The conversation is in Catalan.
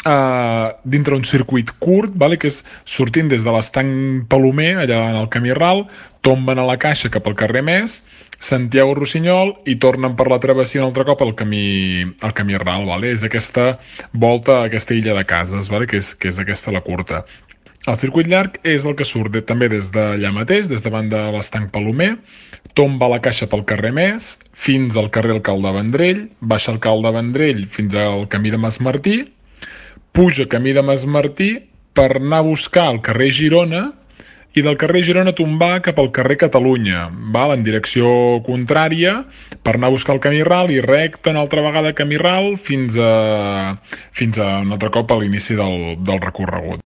dintre un circuit curt, vale? Que és sortint des de l'Estanc Palomer, allà en el camí ral, tomben a la Caixa cap al carrer Més, Santiago Rossinyol i tornen per la travessia un altre cop al camí ral, vale? És aquesta volta a aquesta illa de cases, vale? Que és aquesta la curta. El circuit llarg és el que surt també des d'allà mateix, des davant de l'Estanc Palomer, tomba la Caixa pel carrer Més, fins al carrer Alcalde Vendrell, baixa el Alcalde Vendrell fins al camí de Masmartí, puja camí de Masmartí per anar a buscar el carrer Girona i del carrer Girona tombar cap al carrer Catalunya, val? En direcció contrària, per anar a buscar el camí ral i recte una altra vegada camí ral fins a un altre cop a l'inici del recorregut.